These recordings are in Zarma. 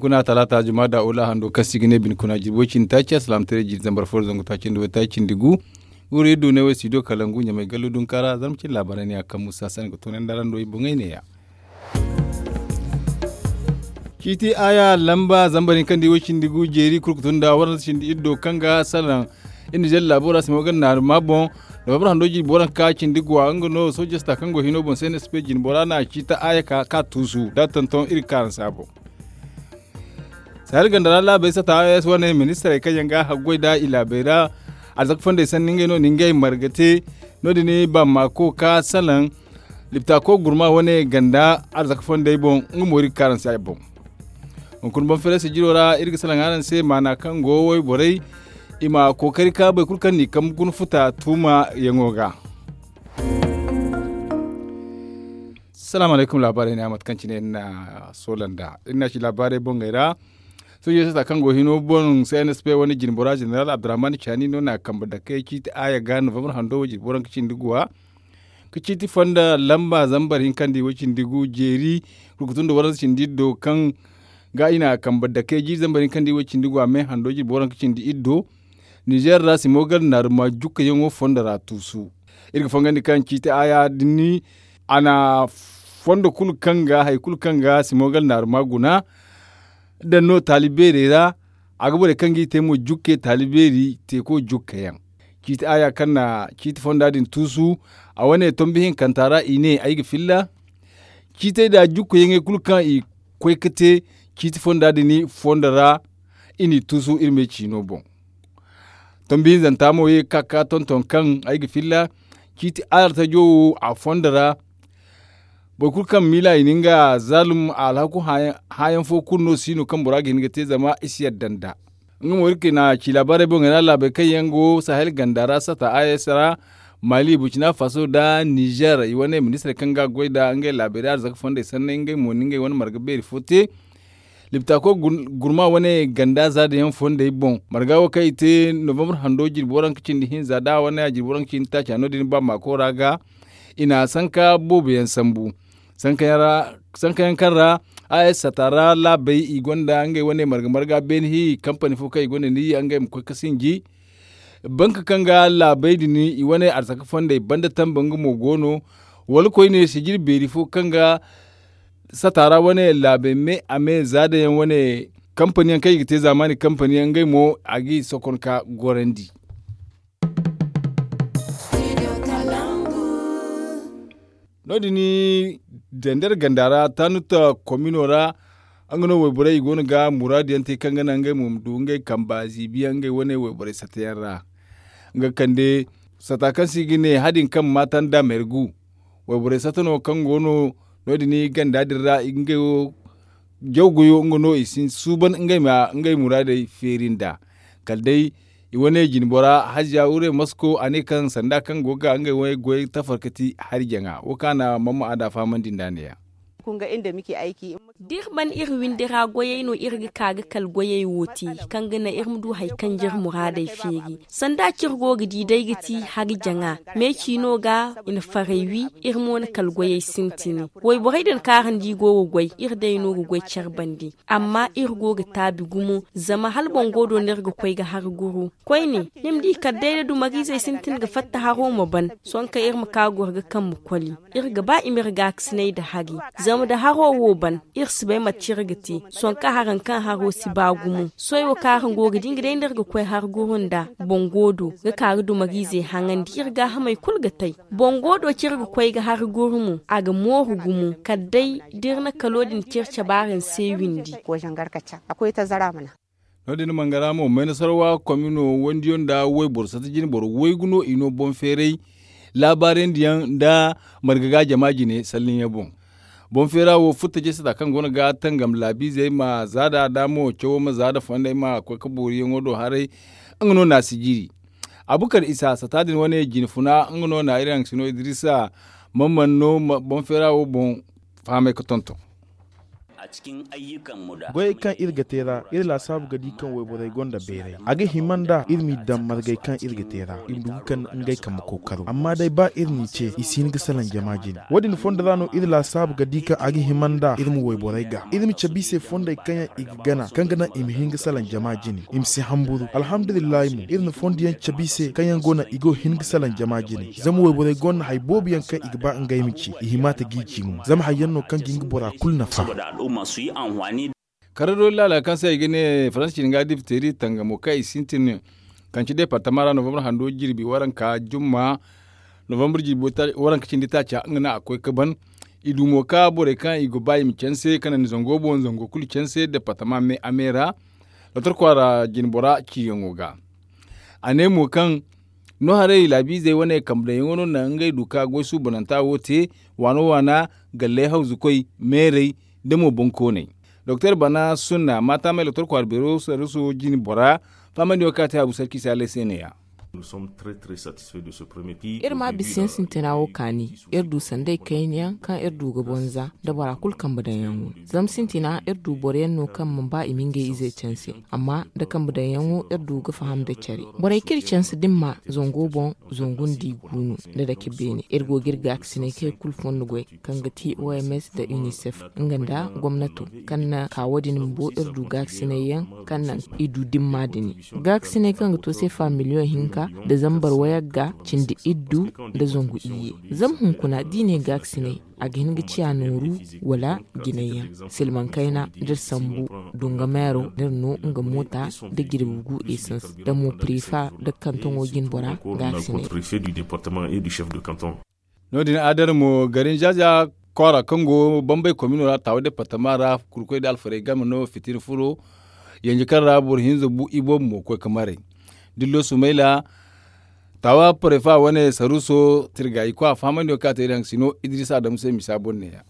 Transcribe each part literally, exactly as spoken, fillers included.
Wana talaata juma da ula hando kaŋ se i ga ne bine kuna jirbi way cindi taaci a salaamataray jiiri zambar fo da zangu taaci nda way taaci cindi gu. Guuru iri du ne way studio kalangu ɲamay gallu dunkaara zarma cindi laabaarey ne a kaŋ musa sanda ga toonandi araŋ do i boŋey ne- ya. Ciiti aaya lamba zambar hinka nda way cindi gu jeeri kulu ga tun nda waranza cindi iddo kaŋ ga salaŋ iri nizer laabo ra simo ga naari ma boŋ. Novambar hando jirbi waranka cindi guwa nga no sooje sata kaŋ go hino boŋ se na sp jinbora na ciiti aaya ka tuusu da tonton iri ga ka araŋ se a boŋ. Sahel ganda ra laabey sata a s wane ministarey kaŋ yaŋ ga haggoy nda i laabey ra. Arzaka fondey sanni ngey no na ngey marga te. No- din bamako ka salaŋ liptako gurma wane ganda arzaka fondey boŋ. Nga mo iri ga ka araŋ se a boŋ. Hunkuna boŋ feeray sijiro ra iri ga salaŋ araŋ se maana kaŋ go wayborey i ma kookari ka boro kulu kaŋ n'i kambe guna futa tuuma yaŋo ga. Salaamu alaykum laabaarey ne a mate kaŋ cine iri na soola nd'a iri na ci laabaarey boŋey ra. Soojey sata kaŋ go hino boŋ cnsp wane jinbora zeneral abdurrahman caani no na kambe dakey ciiti aaya ga novambar hando wo jirbi waranka cindi guwa. Ga ciiti fonda lamba zambar hinka nda way cindi gu jeeri. Kulu ga tun nda waranza cindi iddo kaŋ ga i na kambe dakey jiiri zambar hinka nda way cindi guwa me hando jirbi waranka cindi iddo. Nizer ra simo gar naaruma jukkayaŋo fondo ra tuusu. Iri ga fangandi kaŋ ciiti aaya din a na fondo kulu kaŋ ga hari kulu kaŋ ga simo gar naaruma guna. Daŋ no taali beerey ra a ga borey kaŋ ga i te mo jukke taali beeri teeko jukkayaŋ. Ciiti aaya kaŋ na ciiti fonda din tuusu. A wane tombi hinkanta ra i ne ay ga filla ciitey nda jukkayaŋey kulu kaŋ i koy ga te ciiti fonda din fondo ra. I n'i tuusu iri me ciino boŋ. Tombi hinzanta mo ye ga ka ga tonton kaŋ ay ga filla ciiti alartajo wo a fondo ra. Boro kulu kaŋ miila i na nga zaalum alhaku hãayaŋ fo kulu no si no kaŋ bora ga hin ga te zama i si yadda nd'a. Nga mo iri ga ci laabaarey boŋey ra laabey kaŋ yaŋ go sahel ganda ra sata a s ra mali burcina faso nda nizer i wane ministirey kaŋ ga goy nda ngey laabey ra arzaka fondey sanney ngey mo na ngey wane marga beeri fo te. Liptako gurma wane ganda za da yaŋ fondey boŋ marga wo kaŋ i te novambar hando jirbi waranka cindi hinza da wane jirbi waranka cindi taaca no- din ba maako ra ga i na sanka boobo yaŋ sambu. Sanka yaŋ kaŋ ra a s sata ra laabey i gonda ngey wane marga marga beene hi kampani fo kaŋ i gonda ni ngey ma koy ga sinji. Banka kaŋ ga laabey din i wane arzaka fondey banda tambe nga mo go no. Wala koyne sijiri beeri fo kaŋ ga sata ra wane laabey me a me za da yaŋ wane kampani yaŋ kaŋ i ga te zaamaani kampani yaŋ ngey mo a ga i sokon ka gorandi. No- din zender ganda ra tanuta komino ra nga no wayborey i go no ga muraadu yaŋ te kaŋ ga naŋ ngey mo ma du ngey kamba ziibi yaŋ ngey wane wayborey sata yaŋ ra. Nga kande sata kaŋ se i ga ne hadin kaŋ maata nda mergu. Wayborey sata no kaŋ go no no- din ganda din ra ngey wo jaw goyo nga no i si suuban ngey ma ngey muraadey feeri nd'a. Kala day i wane jine bora haziya wure masko a ne kaŋ sanda kaŋ go ga ngey wane goy tafarkati hari jaŋa wo kaŋ a na mamma a da fahamandi nd'a ne- ya. Da iri ban iri windi ra goyey no iri ga ka ga kala goyey wo te kaŋ ga naŋ iri ma du hari kaŋ ga iri muraadey feeri. Sanda kaŋ iri go ga di day ga ti hari jaŋa me ciino ga i na farey wi. Iri mo na kala goyey sintin wayborey din kaŋ araŋ di go ga goy iri day no ga goy care bande. Amma iri go ga taabi gumo zama hala boŋ go do no iri ga koy ga hari guru. Koyne ni ma di kala day da dumariizey sintin ga fatta haro ma ban. Sohõ kaŋ iri ma ka goro ga kambe koli iri ga ba i ma iri gaakasinay nda hari. Zama da haro wo ban iri si bay mate kaŋ iri ga te. Sohõ kaŋ haraŋ kaŋ haro si ba gumo sohõ wo kaŋ araŋ go ga di nga day no iri ga koy hari guru nda boŋ go do ga ka ga dumariizey haŋandi iri gaahamey kulu ga tay. Boŋ go do kaŋ iri ga koy ga hari guru mo a ga mooru gumo kala day da iri na kalo din kaŋ iri cabe araŋ se windi. No- din mangara mo maynasarawa komino wandiyo nda wayboro sata jine boro waygu no i no boŋ feeray laabaarandi yaŋ nda marga ga jama jine salliŋ yaŋ boŋ. Boŋ feera wo futta jay sata kaŋ go no ga tangam laabiizey ma za da da mo cawo ma za da fondey ma koy ga booriyaŋo do haray. Nga no na si jiiri abukar isa sata din wane jine funa nga no na iri haŋ sino idrisa. Mamman no boŋ feera wo boŋ fahamay ga tonton. Goyey kaŋ iri ga te ra, iri laasaabu ga di kaŋ wayborey gonda beeray. A ga hima nd'a iri m'i daŋ margey kaŋ iri ga te ra, i ma du ga kande ngey kambe kookaro. Amma day ba iri n'i ce, i si hin ga salaŋ jama jine. Wo-din fondo ra no iri laasaabu ga di kaŋ a ga hima nd'a iri ma wayborey gaa, iri ma cabe i se fondey kaŋ yaŋ i ga gana kaŋ ga naŋ i ma hin ga salaŋ jama jine, i ma si hamburu. Alhamdulillahi mo, iri na fondo yaŋ cabe i se kaŋ yaŋ go naŋ i go hin ga salaŋ jama jine. Zama wayborey gonda hari boobo yaŋ kaŋ i ga ba ngey ma ci, i hima ta g'i ci mo. Zama hari yaŋ no kaŋ ga hin ga bora kulu nafa. Karadoori laala kaŋ se i ga ne faransi cine ga dipteri tangamo kaŋ i sintin kaŋ ci departama ra novambar hando jirbi waranka jumma, novambar jirbi waranka cindi taaca nga no a koy ga ban. I du mo ka borey kaŋ i ga ba i ma canse kaŋ naŋ ni zango boŋ zango kulu canse departama me a me ra. Lotor kwaara jinbora ciyaŋo ga. A ne mo kaŋ no haray laabiizey wane kambe daŋyaŋo no naŋ ngey du ka goy suubananta wo te, waano waana, galley hawzukoy, meerey, da mo bonkooney. Doktor bana sunna maataamey lotor kwaara beero saruso jine bora, faamandiyo kaŋ a te habu sarki saaley se ne-ya. Iri maa bisayaŋ sintina wo kaani. Iri du sanday kayna yaŋ kaŋ iri du ga bonza nda bora kulu kambe daŋyaŋo. Zama sintina iri du boro yaŋ no kaŋ mana ba i ma ngey izey canse. Amma nda kambe daŋyaŋo iri du ga faham nda care. Borey kaŋ iri canse da iri ma zango boŋ zangu nda i gu no nda dake beene. Iri go ga iri gaakasinay kaŋ i kulu fondo goy, kaŋ ga ti oms nda unicef, nga nda gomnato, kaŋ na ka wo- din bumbo iri du gaakasinay yaŋ kaŋ naŋ i du dimma dini. Gaakasinay kaŋ ga to seefa miliyoŋ hinka nda zambar wayagga cindi iddu nda zangu iyye. Zama hunkuna da i ne gaakasinay, a ga hin ga ciya nooru wala jinay yaŋ. Silmaŋ kayna da iri sambu dunga meero da iri no nga moota da jirbi gu esans da mo prefa da kantoŋo jinbora gaakasinay. No- din adar mo garin zaza kwaara kaŋ go bambey komino ra taawa departama ra kurkoy da alfarey game no fitina furo. Yanji kaŋ ra boro hinza bu i boobo mo koy ga maray dillo sumayla. Taawa parefa wane saruso tirga i koy a fahamandi wo kaŋ a te iri haŋ sino idris adamu se misa boŋ neeya.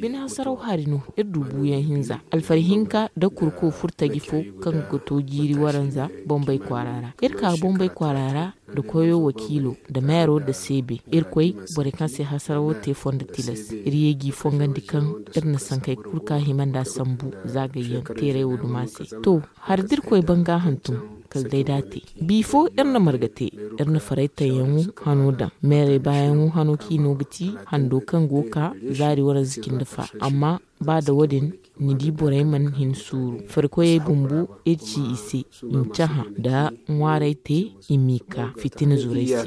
Bine hasaraw hari no iri du buuyaŋ hinza alfari hinka da kurko furtaji fo kaŋ ga to jiiri waranza bombay kwaara ra. Iri ka bombay kwaara ra da koyo wakiilo da meero da seebe. Irkoy borey kaŋ se hasarawo te fondo tilas. Iri ye g'i fongandi kaŋ iri na sankey kulu ka hima nd'a sambu zaagayyaŋ teeray wo duma se. To, hari da irkoy ban ga hantum kala day da a te. Bifo iri na marga te, iri na faray tayyaŋo hano daŋ. Meerey baayaŋo hano kaŋ i no ga ti hando kaŋ go ga ka zaari waranza cindi fa. Amma ba da wo- din ni di borey mana hin suuru farikoyey bumbo iri ci i se i ma cahã nda ŋwaarey te i m'i ka fitina zurey se.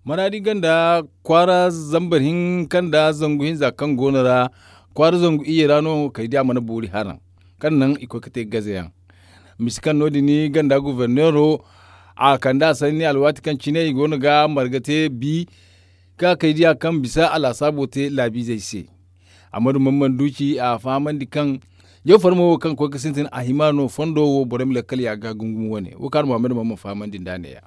Maraadi ganda kwaara zambar hinka nda zangu hinza kaŋ go no ra kwaara zangu iyye ra no kay di a mana boori haraŋ kaŋ naŋ i koy ga te gaze yaŋ. Misi kaŋ no- din ganda guverneero a kande a sanni alwaati kaŋ cine i go no ga marga te bi ka kay diya kaŋ bisa a laasaabo te laabiizey se. Amma da man mana du ci a fahamandi kaŋ jaw farmo wo kaŋ ga koy ga sintin a hima no fondo wo borey ma lakkal ya ga gungum wane wo kaŋ araŋ muhammad man mana fahamandi nd'a neeya.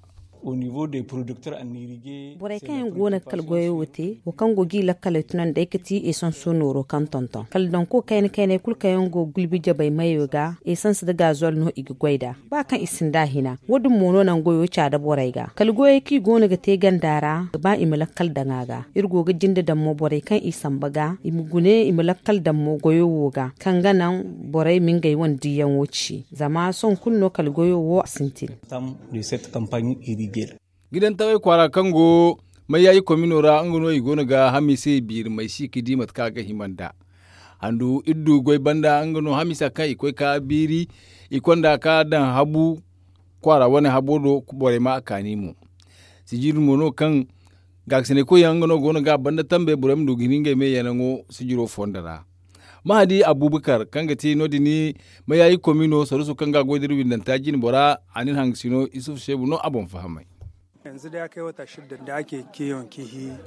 Borey kaŋ yaŋ go no ga kala goyo wo te wo kaŋ go g'i lakkaley tunandi day ga ti esanso nooro kaŋ tonton kala danko kayna kaynay kulu kaŋ yaŋ go ga gulbi jabay mayo ga esans nda gazol no i ga goy nd'a. Ba kaŋ i sinda hina wo- din mo no naŋ goyo caada borey ga kala goyey kaŋ i go no ga te ganda ra ga ba i ma lakkal daŋ a ga. Iri go ga jinde daŋ mo borey kaŋ i samba ga i ma gune i ma lakkal daŋ mo goyo wo ga kaŋ ga naŋ borey ma ngey wane diyaŋo ci zama sohõ kulu no kala goyo wo a sintin. Gidantawey kwaara kaŋ go mayyaaji komino ra nga no i go no ga hamiisey biiri may si ga di mate kaŋ a ga hima nd'a. Handu iri du goy banda nga no hamiisa kaŋ i koy ka biiri i konda ka daŋ habu kwaara wane habo do borey ma a kaani mo. Sijiri mo no kaŋ gaakasinay koyyaŋ nga no go no ga a banda tambe borey ma du ga hin ngey me yanaŋo sijiro fondo ra. Mahadi abubakar kaŋ ga ti no- din mayayi komino saruso kaŋ ga a goy da iri windanta jine bora a na iri hangasino isufu seebu no a boŋ fahamay.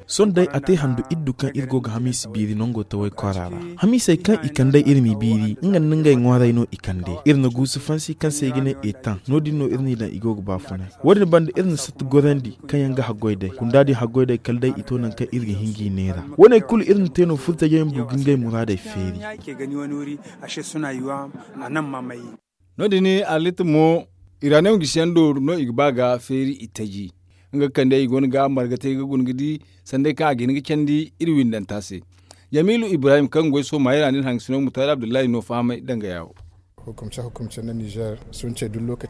Sohõ day a te handu iddu kaŋ iri go ga hamiisi biiri nango tawey kwaara ra. Hamiisey kaŋ i kand'ey iri m'i biiri nga nda ngey ŋwaaray no i kand'ey iri na guusu fansi kaŋ se i ga ne eetaŋ no- din no iri n'i daŋ i go ga baafunay. Wo- din banda iri na satti gorandi kaŋ yaŋ ga haggoy day kunda din haggoy day kala day i to nangu kaŋ iri ga hin g'i neera. Wo- ne kulu iri na te no furtajey ma du ga ngey muraadey feeri. No- din arlit mo iranew gisiyaŋ do no i ga ba ga feeri i taji. Nga ga kande i go no ga marga te ga guna ga di sanday kaŋ a ga hin ga candi iri windanta se. Jamilu ibrahim kaŋ ga goy sohõ maayey ra no iri hangasino mutaari abdullahi no fahamay danga yaawo.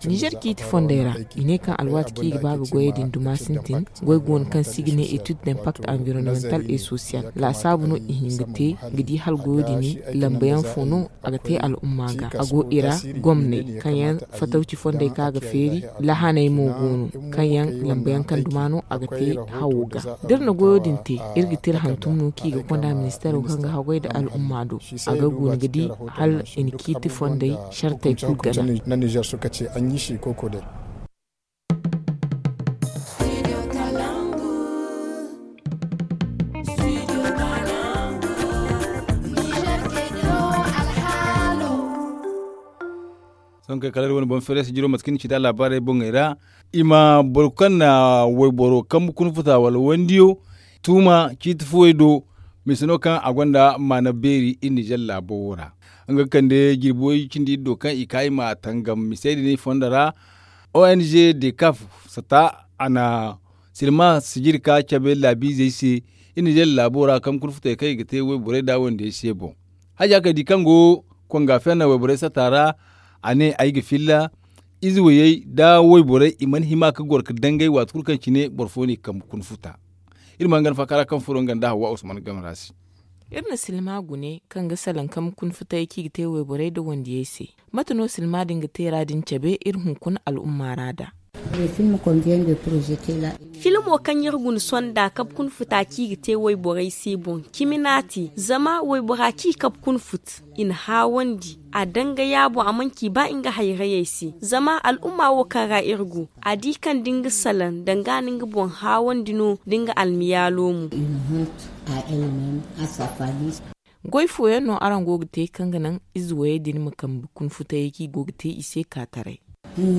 Nizer ciiti fondey ra i ne kaŋ alwaati kaŋ i ga ba ga goyey din duma sintin. Goy go no kaŋ se i ga ne étude d'impact environnemental et social laasaabu no i hin ga te ga di hala goyo din lamba yaŋ fo no a ga te al'umma ga a go i ra. Gomney kaŋ yaŋ fatawci fondey kaŋ a ga feeri lahaney mo go no kaŋ yaŋ lamba yaŋ kaŋ duma no a ga te hawo ga. Da iri na goyo din te iri ga te iri hantum no kaŋ i ga konda ministeero kaŋ ga haggoy nda al'umma do a ga guna ga di hala i na ciiti fondey sartey kulu gana. Sohõ kay kala iri wane boŋ feere se jiro mate kaŋ ni ci nd'a laabaarey boŋey ra. I ma boro kaŋ na wayboro kambe kuna futa wala wandiyo tuuma ciiti fuwey do. Mise no kaŋ a gonda maana beeri iri nizer laabo wo ra. Nga ga kande jirbi way cindi iri do kaŋ i ka i ma tangam misey din i fondo ra. Ong dekaf sata a na silma sijiri ka cabe laabiizey se. Iri nizer laabo ra kambe kuna futey kaŋ i ga te wayborey nda wandiyey se boŋ. Haja kay di kaŋ go konga fenna wayborey sata ra. A ne ay ga filla ize wayey nda wayborey i mana hima ga goro ga dangay waati kulu kaŋ cine boro fo no i kambe kuna futa. Iri mana gana faakara kaŋ furo nga nda hawwa usman game ra se. Iri na silma gune kaŋ ga salaŋ kambe kuna futay kaŋ i ga te wayborey nda wandiyey se. Mate no silma din ga te ra din cabe iri hunkuna al'umma ra nd'a. Filmo kaŋ iri guna sonda kabe kuna futa kaŋ i ga te wayborey se boŋ cimi no a te zama waybora kaŋ i kabe kuna fut i na haawandi a dangaya boŋ a mana ci ba nga hayrayey se zama al'umma wo kaŋ ra iri go a di kaŋ da nga salaŋ danga na nga boŋ haawandi no da nga almiyaalo mo. Goy fooyaŋ no araŋ go ga te kaŋ ga naŋ ize wayey din ma kambe kuna futayey kaŋ i go ga te i se kaataray. Iri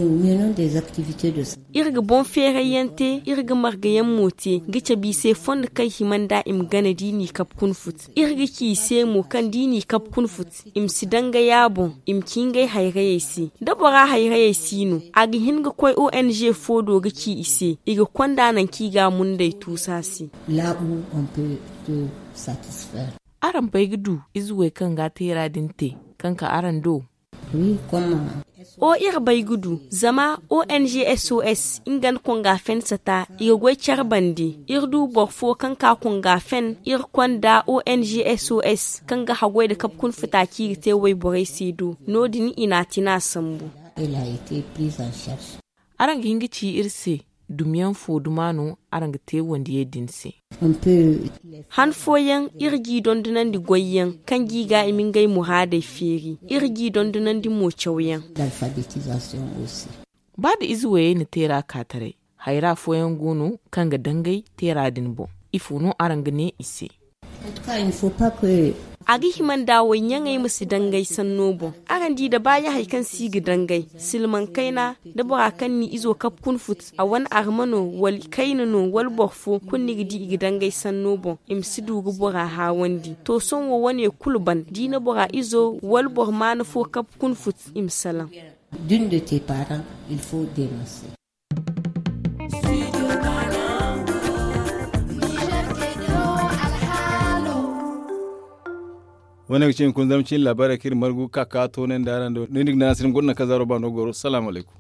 ga boŋ feerayyaŋ te iri ga margayaŋ mo te ga cabe i se fondo kaŋ hima nd'a i ma gana da i n'i kabe kuna fut. Iri ga ci i se mo kaŋ da i n'i kabe kuna fut i ma si dangaya boŋ i ma ci ngey hayrayey se. Da bora hayrayey si no a ga hin ga koy ong fo do ga ci i se i ga konda nangu kaŋ i ga a mundey tuusa se. Araŋ bay ga du ize wey kaŋ ga a teera din te kaŋ ka araŋ do? O iri bay ga du zama ong sos nga nda konga fen sata i ga goy care bande. Iri du boro fo kaŋ ka konga fen iri konda ong sos kaŋ ga haggoy nda kabe kuna futa kaŋ i ga te wayborey se do no- din i n'a tina sambu. Araŋ ga hin ga ci iri se dumiyaŋ fo duma no araŋ ga te wandiyey din se? Han fooyaŋ iri g'i dondonandi goyyaŋ kaŋ g'i ga i ma ngey muraadey feeri. Iri g'i dondonandi mo cawyaŋ. Ba nda ize wayey na teera kaataray hayra fooyaŋ go no kaŋ ga dangay teera din boŋ? Ifo no araŋ ga ne i se? A ga hima nda wayyaŋey ma si dangay sanno boŋ. Araŋ di da baayahay kaŋ si ga dangay silmaŋ kayna da bora kaŋ n'i izo kabe kuna fut a wane arma no wala kayna no wala boro fo kulu ni ga di i ga dangay sanno boŋ i ma si du ga bora haawandi to sohõ wo wane kulu ban da i na bora izo wala boro maana fo kabe kuna fut i ma salaŋ. Wane ga cine kuna zama cine laabaarey kaŋ iri margu ga ka ka toonandi araŋ do no ni ga naŋ a si ni ma goro naŋ kaŋ zaaro ba no goro salaamu alaykum.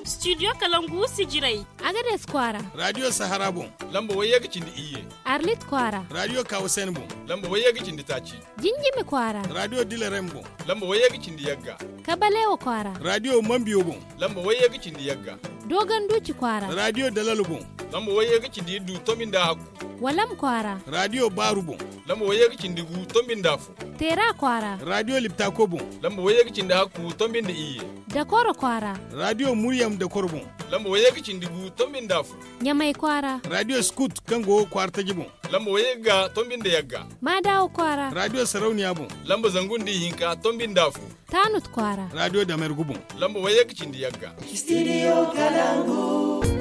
Studio kalangu sijirey. Agades kwaara. Radio sahara boŋ. Lamba wayye ga cindi iyye. Arlit kwaara. Radio kawasen boŋ. Lamba wayye ga cindi taaci. Jinjimi kwaara. Radio dilarem boŋ. Lamba wayye ga cindi yagga. Kabalewa kwaara. Radio mambiyo boŋ. Lamba wayye ga cindi yagga. Dogon duci kwaara. Radio dalalo boŋ. Lamba wayye ga cindi iddu tombi nda hakku. Walam kwaara. Radio baaru boŋ. Lamba wayye ga cindi gu tombi nda fo. Teera kwaara. Radio liptako boŋ. Lamba wayye ga cindi hakku tombi nda iyye. Dakoro kwaara. Radio muryam dakoro boŋ. Lamba wayye ga cindi gu tombi nda fo. Ɲamay kwaara. Radio scout kaŋ go kwaara taji boŋ. Lamba wayye ga tombi nda yagga. Maadawa kwaara. Radio sarauniya boŋ. Lamba zangu nda ihinka tombi nda fo. Taanut kwaara. Radio damergu boŋ. Lamba wayye ga cindi yagga. Studio kalangu.